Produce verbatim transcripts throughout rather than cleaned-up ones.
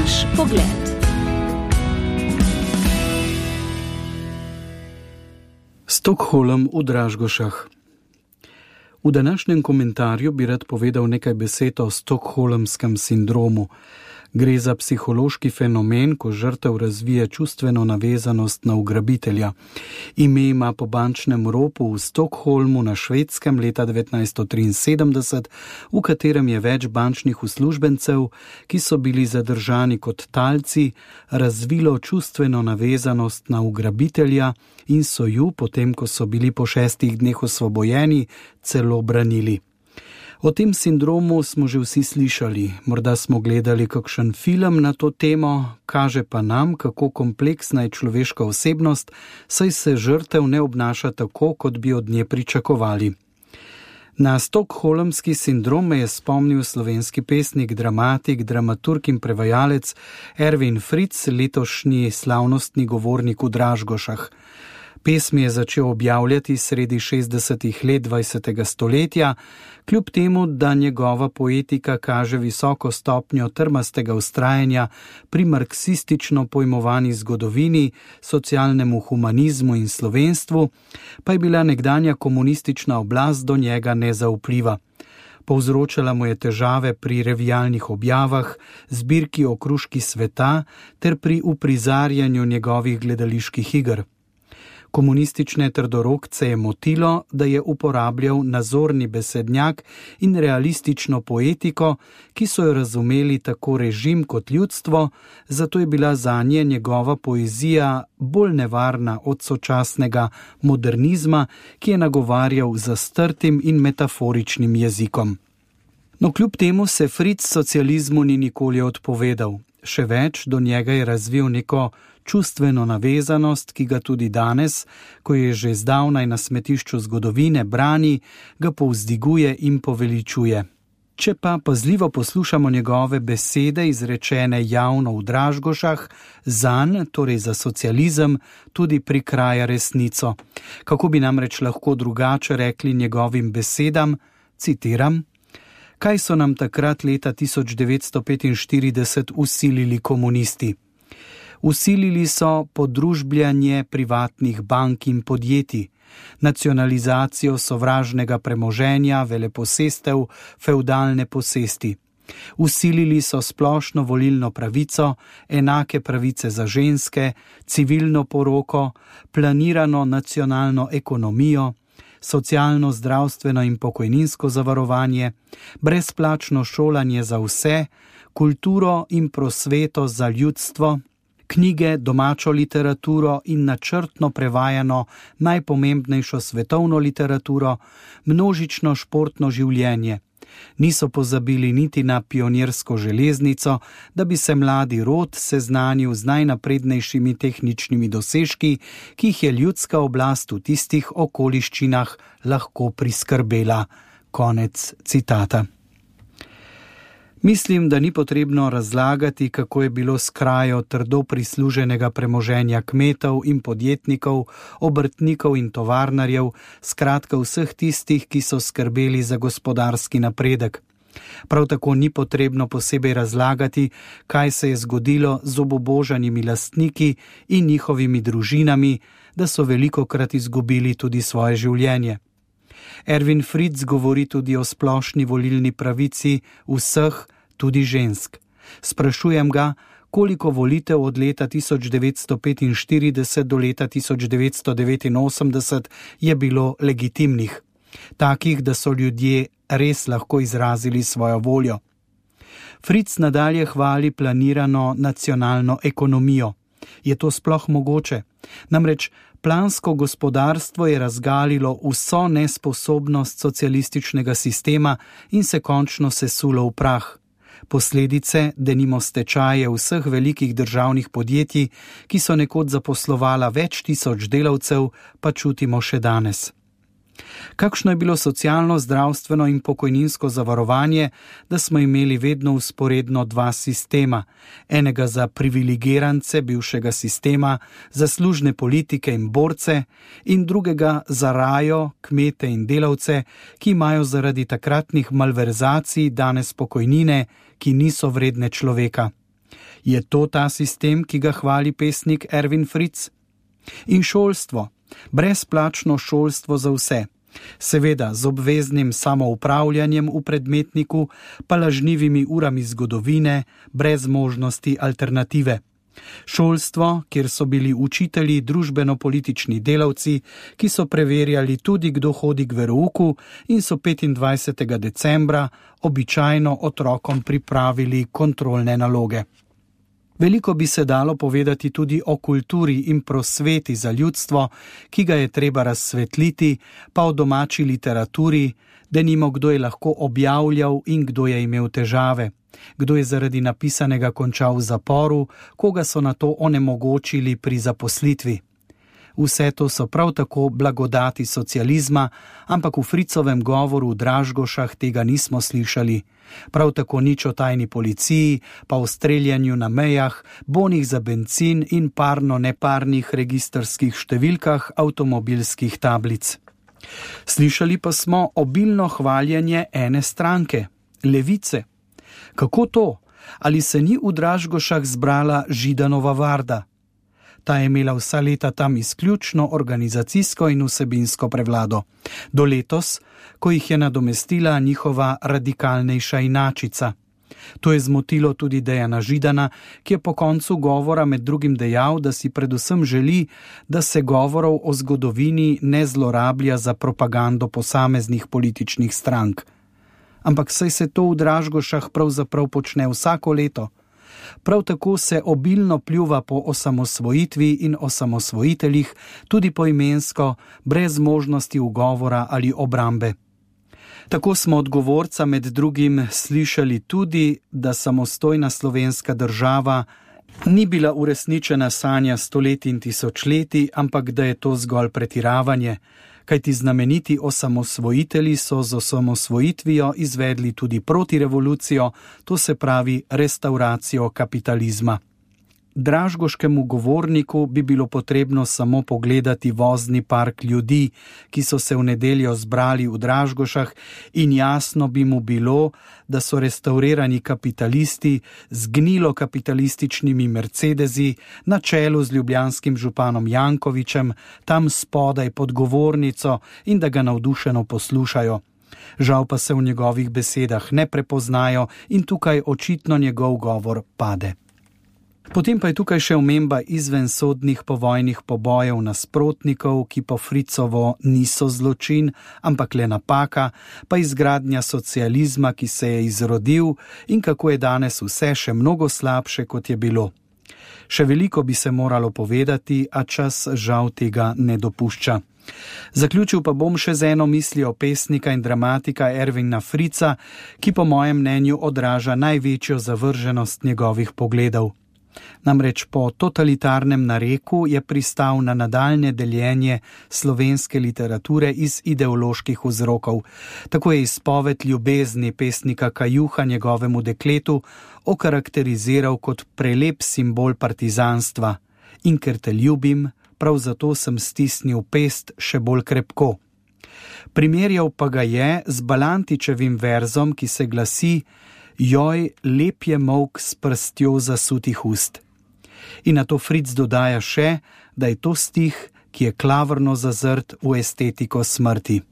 Vaš pogled. Stockholm v Dražgošah. V današnjem komentarju bi rad povedal nekaj besed o stockholmskem sindromu. Gre za psihološki fenomen, ko žrtev razvije čustveno navezanost na ugrabitelja. Ime ima po bančnem ropu v Stockholmu na Švedskem leta devetnajststo triinsedemdeset, v katerem je več bančnih uslužbencev, ki so bili zadržani kot talci, razvilo čustveno navezanost na ugrabitelja in so ju, potem ko so bili po šestih dneh osvobojeni, celo branili. O tem sindromu smo že vsi slišali, morda smo gledali kakšen film na to temo, kaže pa nam, kako kompleksna je človeška osebnost, saj se žrtev ne obnaša tako, kot bi od nje pričakovali. Na stockholmski sindrom me je spomnil slovenski pesnik, dramatik, dramaturg in prevajalec Ervin Fritz, letošnji slavnostni govornik v Dražgošah. Pesmi je začel objavljati sredi šestdesetih let dvajsetega stoletja, kljub temu, da njegova poetika kaže visoko stopnjo trmastega vztrajanja pri marksistično pojmovani zgodovini, socialnemu humanizmu in slovenstvu, pa je bila nekdanja komunistična oblast do njega nezaupljiva. Povzročala mu je težave pri revijalnih objavah, zbirki Okruški sveta ter pri uprizarjanju njegovih gledaliških iger. Komunistične trdorokce je motilo, da je uporabljal nazorni besednjak in realistično poetiko, ki so jo razumeli tako režim kot ljudstvo, zato je bila zanje njegova poezija bolj nevarna od sočasnega modernizma, ki je nagovarjal z zastrtim in metaforičnim jezikom. No, kljub temu se Fritz socializmu ni nikoli odpovedal. Še več, do njega je razvil neko čustveno navezanost, ki ga tudi danes, ko je že zdavnaj na smetišču zgodovine, brani, ga povzdiguje in poveličuje. Če pa pazljivo poslušamo njegove besede, izrečene javno v Dražgošah, zanj, torej za socializem, tudi prikraja resnico. Kako bi namreč lahko drugače rekli njegovim besedam, citiram: kaj so nam takrat leta tisoč devetsto petinštirideset usilili komunisti? Usilili so podružbljanje privatnih bank in podjetij, nacionalizacijo sovražnega premoženja, veleposestev, fevdalne posesti. Usilili so splošno volilno pravico, enake pravice za ženske, civilno poroko, planirano nacionalno ekonomijo, socialno, zdravstveno in pokojninsko zavarovanje, brezplačno šolanje za vse, kulturo in prosveto za ljudstvo, knjige, domačo literaturo in načrtno prevajano najpomembnejšo svetovno literaturo, množično športno življenje. Niso pozabili niti na pionirsko železnico, da bi se mladi rod seznanil z najnaprednejšimi tehničnimi dosežki, ki jih je ljudska oblast v tistih okoliščinah lahko priskrbela. Konec citata. Mislim, da ni potrebno razlagati, kako je bilo s krajo trdo prisluženega premoženja kmetov in podjetnikov, obrtnikov in tovarnarjev, skratka vseh tistih, ki so skrbeli za gospodarski napredek. Prav tako ni potrebno posebej razlagati, kaj se je zgodilo z obubožanimi lastniki in njihovimi družinami, da so velikokrat izgubili tudi svoje življenje. Ervin Fritz govori tudi o splošni volilni pravici vseh, tudi žensk. Sprašujem ga, koliko volitev od leta tisoč devetsto petinštirideset do leta tisoč devetsto devetinosemdeset je bilo legitimnih, takih, da so ljudje res lahko izrazili svojo voljo. Fritz nadalje hvali planirano nacionalno ekonomijo. Je to sploh mogoče? Namreč plansko gospodarstvo je razgalilo vso nesposobnost socialističnega sistema in se končno sesulo v prah. Posledice, denimo stečaje vseh velikih državnih podjetij, ki so nekoč zaposlovala več tisoč delavcev, pa čutimo še danes. Kakšno je bilo socialno, zdravstveno in pokojninsko zavarovanje, da smo imeli vedno vzporedno dva sistema, enega za privilegirance bivšega sistema, zaslužne politike in borce, in drugega za rajo, kmete in delavce, ki imajo zaradi takratnih malverzacij danes pokojnine, ki niso vredne človeka. Je to ta sistem, ki ga hvali pesnik Erwin Fritz? In šolstvo, brezplačno šolstvo za vse. Seveda z obveznim samoupravljanjem v predmetniku, pa lažnivimi urami zgodovine, brez možnosti alternative. Šolstvo, kjer so bili učitelji družbeno-politični delavci, ki so preverjali tudi, kdo hodi k verouku in so petindvajsetega decembra običajno otrokom pripravili kontrolne naloge. Veliko bi se dalo povedati tudi o kulturi in prosveti za ljudstvo, ki ga je treba razsvetliti, pa o domači literaturi, denimo kdo je lahko objavljal in kdo je imel težave, kdo je zaradi napisanega končal v zaporu, koga so nato onemogočili pri zaposlitvi. Vse to so prav tako blagodati socializma, ampak v Fritzovem govoru v Dražgošah tega nismo slišali. Prav tako nič o tajni policiji, pa o streljanju na mejah, bonih za bencin in parno-neparnih registrskih številkah avtomobilskih tablic. Slišali pa smo obilno hvaljenje ene stranke, Levice. Kako to? Ali se ni v Dražgošah zbrala Židanova varda? Ta je imela vsa leta tam izključno organizacijsko in vsebinsko prevlado. Do letos, ko jih je nadomestila njihova radikalnejša inačica. To je zmotilo tudi Dejana Židana, ki je po koncu govora med drugim dejal, da si predvsem želi, da se govorov o zgodovini ne zlorablja za propagando posameznih političnih strank. Ampak saj se to v Dražgošah pravzaprav počne vsako leto. Prav tako se obilno pljuva po osamosvojitvi in osamosvojiteljih, tudi poimensko, brez možnosti ugovora ali obrambe. Tako smo od govorca med drugim slišali tudi, da samostojna slovenska država ni bila uresničena sanja stoletij in tisočletij, ampak da je to zgolj pretiravanje, kajti znameniti osamosvojitelji so z osamosvojitvijo izvedli tudi protirevolucijo, to se pravi restauracijo kapitalizma. Dražgoškemu govorniku bi bilo potrebno samo pogledati vozni park ljudi, ki so se v nedeljo zbrali v Dražgošah, in jasno bi mu bilo, da so restaurirani kapitalisti z gnilo kapitalističnimi Mercedesi na čelu z ljubljanskim županom Jankovićem tam spodaj pod govornico in da ga navdušeno poslušajo. Žal pa se v njegovih besedah ne prepoznajo in tukaj očitno njegov govor pade. Potem pa je tukaj še omemba izvensodnih povojnih pobojev nasprotnikov, ki po Fritzovo niso zločin, ampak le napaka, pa izgradnja socializma, ki se je izrodil in kako je danes vse še mnogo slabše, kot je bilo. Še veliko bi se moralo povedati, a čas žal tega ne dopušča. Zaključil pa bom še z eno mislijo pesnika in dramatika Erwina Fritza, ki po mojem mnenju odraža največjo zavrženost njegovih pogledov. Namreč po totalitarnem nareku je pristal na nadaljnje deljenje slovenske literature iz ideoloških vzrokov. Tako je izpoved ljubezni pesnika Kajuha njegovemu dekletu okarakteriziral kot prelep simbol partizanstva. In ker te ljubim, prav zato sem stisnil pest še bolj krepko. Primerjal pa ga je z Balantičevim verzom, ki se glasi: Joj, lep je molk s prstjo zasutih ust. In na to Fritz dodaja še, da je to stih, ki je klavrno zazrt v estetiko smrti.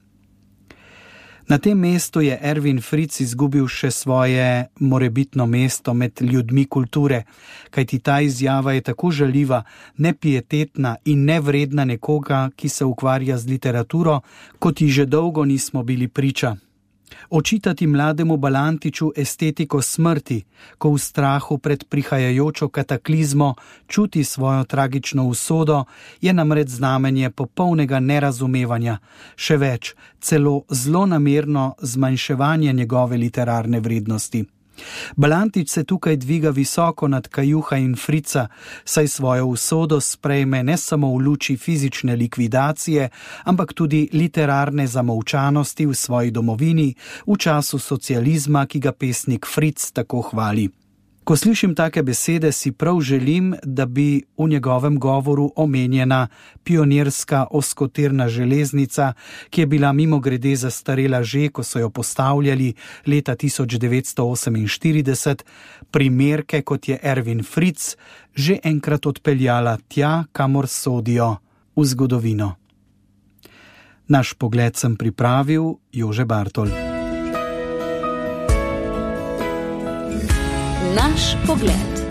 Na tem mestu je Erwin Fritz izgubil še svoje morebitno mesto med ljudmi kulture, kajti ta izjava je tako žaljiva, nepietetna in nevredna nekoga, ki se ukvarja z literaturo, kot ji že dolgo nismo bili priča. Očitati mlademu Balantiču estetiko smrti, ko v strahu pred prihajajočo kataklizmo čuti svojo tragično usodo, je namreč znamenje popolnega nerazumevanja, še več, celo zlonamerno zmanjševanje njegove literarne vrednosti. Balantič se tukaj dviga visoko nad Kajuha in Fritza, saj svojo usodo sprejme ne samo v luči fizične likvidacije, ampak tudi literarne zamolčanosti v svoji domovini v času socializma, ki ga pesnik Fritz tako hvali. Ko slišim take besede, si prav želim, da bi v njegovem govoru omenjena pionirska oskotirna železnica, ki je bila mimogrede zastarela že, ko so jo postavljali leta tisoč devetsto oseminštirideset, primerke, kot je Erwin Fritz, že enkrat odpeljala tja, kamor sodijo, v zgodovino. Naš pogled sem pripravil Jože Bartol. Naš pogled.